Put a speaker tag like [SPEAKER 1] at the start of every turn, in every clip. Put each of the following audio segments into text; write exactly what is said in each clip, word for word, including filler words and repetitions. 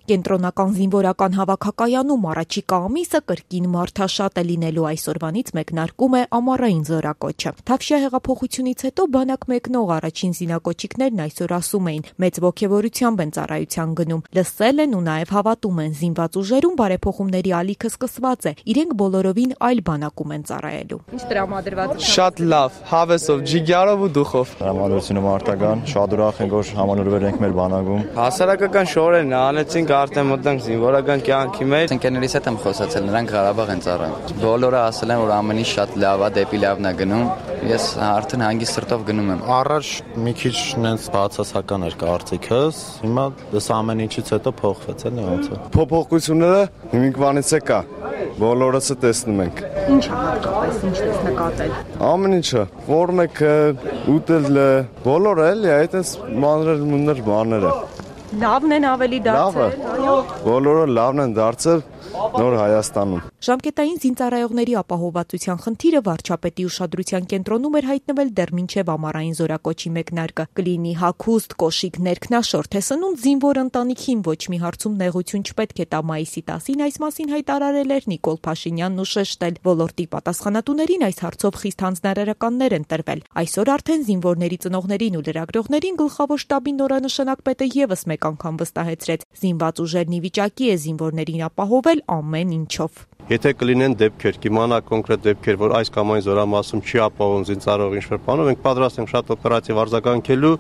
[SPEAKER 1] Կենտրոնական զինվորական հավաքակայանում առաջիկա ամիսը կրկին մարդաշատ է լինելու, այսօրվանից մեկնարկում է ամառային զորակոչը։ Թավշյա հեղափոխությունից հետո բանակ մեկնող առաջին զինակոչիկներն այսօր ասում էին, մեծ ոգևորությամբ են ծառայության գնում, լսել են ու նաև հավատում են, զինված ուժերում բարեփոխումների ալիքը սկսված է, իրենք բոլորովին այլ բանակում են ծառայելու։ Ինչ տրամադրված է։
[SPEAKER 2] Շատ լավ, հավեսով, ջիգյարով ու դուխով։
[SPEAKER 3] Տրամադրությունը մարտական, շատ ուրախ ենք, որ համանորվել ենք մեր բանակում։
[SPEAKER 2] Հասարակական շորերն անեցինք, արդեն մտանք զինվորական կյանքի մեջ։
[SPEAKER 4] Ընկերներիս հետ եմ խոսացել, նրանք Ղարաբաղ են ծառայում։ Բոլորը ասել են, որ ամեն ինչ շատ լավ է, դեպի լավն է գնում։ Ես արդեն հանգիստ սրտով գնում եմ։
[SPEAKER 3] Առաջ մի քիչ նենց բացասական էր կարծիքս, հիմա դες ամեն ինչից հետո փոխվեց էլի ոնց է։
[SPEAKER 5] Փոփոխությունները հիմիկվանից է կա։ Բոլորս է տեսնում ենք։
[SPEAKER 1] Ինչ է հատկապես, ինչ ես նկատել։
[SPEAKER 5] Ամեն ինչը, ֆորմեքը, ուտելը, բոլորը էլի այդպես մանրեր մուններ բաները։
[SPEAKER 1] Լավն են ավելի դարձել, այո։
[SPEAKER 5] Բոլորը լավն են դարձել նոր Հայաստանում։
[SPEAKER 1] Ժամկետային զինծառայողների ապահովվածության խնդիրը վարչապետի ուշադրության կենտրոնում էր հայտնվել դեռ մինչև ամառային զորակոչի մեկնարկը։ Կլինի հագուստ, կոշիկ, ներքնաշորթ է սնունդ զինվոր ընտանիքին ոչ մի հարցում նեղություն չպետք է տա մայիսի տասին այս մասին հայտարարել էր Նիկոլ Փաշինյանն ու շեշտել։ Ոլորտի պատասխանատուներին այս հարցով խիստ հանձնարարականներ են տրվել։ Այսօր արդեն զինվորների ծնողներին ու լրագրողներին գլխավոր շտաբի նորանշանակ պետը եւս մեկ անգամ վստահեցրեց. զինված ուժերն ի վիճակի է զինվորներին ապահովել ամեն ինչով։
[SPEAKER 6] Եթե կլինեն դեպքեր, կիմանա կոնկրետ դեպքեր, որ այս կամ այն զորամասում չի ապահովում զինծառայող ինչ-որ բանով, մենք պատրաստ ենք շատ օպերատիվ արձագանքելու,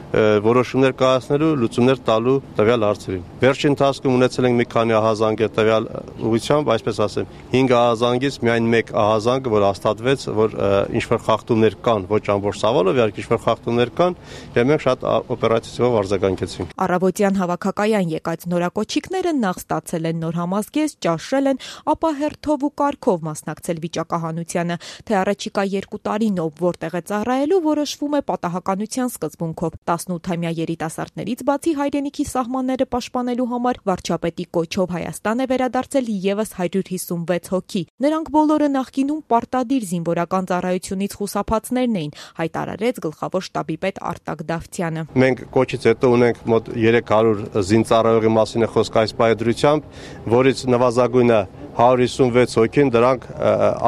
[SPEAKER 6] որոշումներ կայացնելու, լուծումներ տալու տվյալ հարցերին։ Վերջին ընթացքում ունեցել ենք մի քանի ահազանգ տվյալ ուղղությամբ, այսպես ասեմ, հինգ ահազանգից միայն մեկ ահազանգը, որ հաստատվեց, որ ինչ-որ խախտումներ կան, ոչ ամբողջ սավալով, իհարկե ինչ-որ խախտումներ կան, եւ մենք շատ օպերատիվով արձագանքեցինք։
[SPEAKER 1] Առավոտյան հավաքակայան եկած նորակոչիկները նախ ստացել են նոր համազգեստ, ճաշել են, ապա հերթով ու կարգով մասնակցել վիճակահանությանը, թե առաջիկա երկու տարին ով որտեղ է ծառայելու որոշվում է պատահականության սկզբունքով։ տասնութամյա երիտասարդներից բացի հայրենիքի սահմանները պաշտպանելու համար վարչապետի կոչով Հայաստան է վերադարձել եւս հարյուր հիսունվեց հոգի։ Նրանք բոլորը նախկինում պարտադիր զինվորական ծառայությունից խուսափածներն էին, հայտարարեց գլխավոր շտաբի պետ Արտակ Դավթյանը։
[SPEAKER 6] Մենք կոչից հետո ունենք մոտ երեք հարյուր զինծառայողի մասին է խոսք այս պայդրությամբ, որից նվազագույնը հարյուր հիսունվեց հոգին, դրանք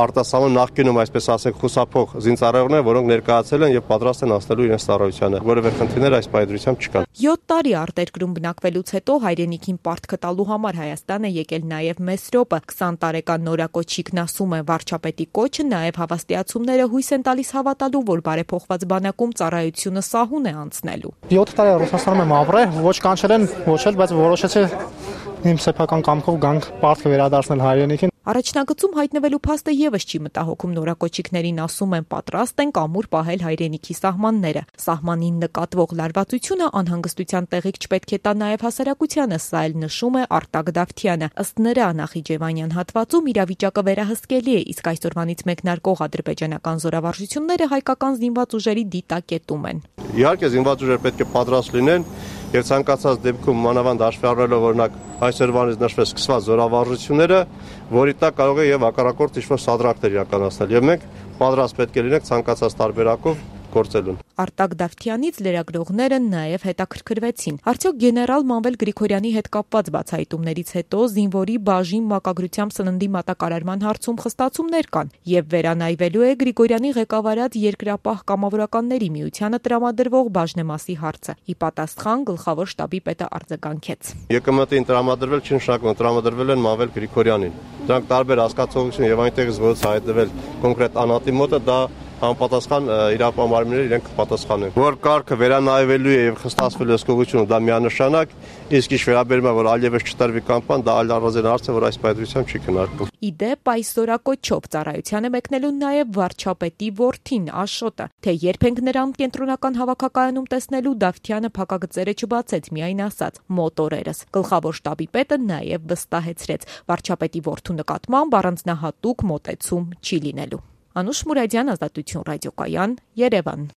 [SPEAKER 6] արտասահման նախկինում, այսպես ասենք, խուսափող զինծառայողներ, որոնք ներկայացել են եւ պատրաստ են անցնելու իրենց ծառայությանը։ Որևէ խնդիրներ այս պայդրությամբ չկան։
[SPEAKER 1] յոթ տարի արտերկրում բնակվելուց հետո հայրենիքին պարտքը տալու համար Հայաստան է եկել նաեւ Մեսրոպը։ քսան տարեկան նորակոչիկն ասում է, վարչապետի կոչը նաեւ հավաստիացումները հույս են տալիս հավատալու, որ բարեփոխված բանակում ծառայությունը սահուն է անցնելու։
[SPEAKER 7] յոթ տարի Ռուսաստանում եմ ապրել, ոչ կանչել են, ոչ էլ, բայց որոշեցի իմ սեփական կամքով գանք պարտքը վերադարձնել հայրենիքին։
[SPEAKER 1] Առաջնագծում հայտնվելու փաստը եւս չի մտահոգում նորակոչիկներին, ասում են պատրաստ են կամուր պահել հայրենիքի սահմանները։ Սահմանին նկատվող լարվածությունը անհանգստության տեղիք չպետք է տա նաեւ հասարակությանը, սա էլ նշում է Արտակ Դավթյանը։ Ըստ նրա Նախիջևանյան հատվածում իրավիճակը վերահսկելի է, իսկ այսօրվանից մեկնարկող ադրբեջանական զորավարժությունները հայկական զինված ուժերի դիտակետում են։
[SPEAKER 6] Իհարկե զինված ուժերը պետք է պատրաստ լինեն եւ ցանկացած դեպքում մանավանդ հաշվի առնելով օրինակ այսօրվանից նշվեց սկսված զորավարժությունները, որի տակ կարող է եւ հակառակորդ ինչ-որ սադրակներ իրականացնել եւ մենք պատրաստ պետք է լինենք ցանկացած տարբերակով գործելուն։
[SPEAKER 1] Արտակ Դավթյանից լրագրողները նաև հետաքրքրվեցին. արդյոք գեներալ Մանվել Գրիգորյանի հետ կապված բացահայտումներից հետո զինվորի բաժին մակագրությամբ սննդի մատակարարման հարցում խստացումներ կան եւ վերանայվելու է Գրիգորյանի ղեկավարած երկրապահ կամավորականների միությանը տրամադրվող բաժնեմասի հարցը։ Ի պատասխան գլխավոր շտաբի պետը արձագանքեց.
[SPEAKER 6] ԵԿՄՏ-ին տրամադրվել չի նշանակում տրամադրվել են Մանվել Գրիգորյանին։ Դրանք տարբեր հասկացողություն եւ այնտեղից ոնց հայտնվել կոնկրետ անհատի մոտը դա անպատասխան իրապահարումներ իրենք կպատասխանեն։ Որ կարգը վերանայվելու է եւ խստացվելու հսկողությունը դա միանշանակ, իսկ ինչ վերաբերում է որ այլևս չտարվի կամպան, դա այլ առանձին հարց է, որ այս պայծրությամբ չի քննարկվում։
[SPEAKER 1] Իդեպ այս զորակոչով ծառայությանը մեկնելու նաեւ վարչապետի որդին Աշոտը, թե երբ ենք նրան կենտրոնական հավաքակայանում տեսնելու, Դավթյանը փակագծերը չբացեց, միայն ասաց մոտորերս։ Գլխավոր շտաբի պետը նաեւ վստահեցրեց, վարչապետի որդու նկատմամբ առանձնահատուկ մոտեցում չի լինելու։ Անուշ Մուրադյան, Ազատություն ռադիոկայան, Երևան։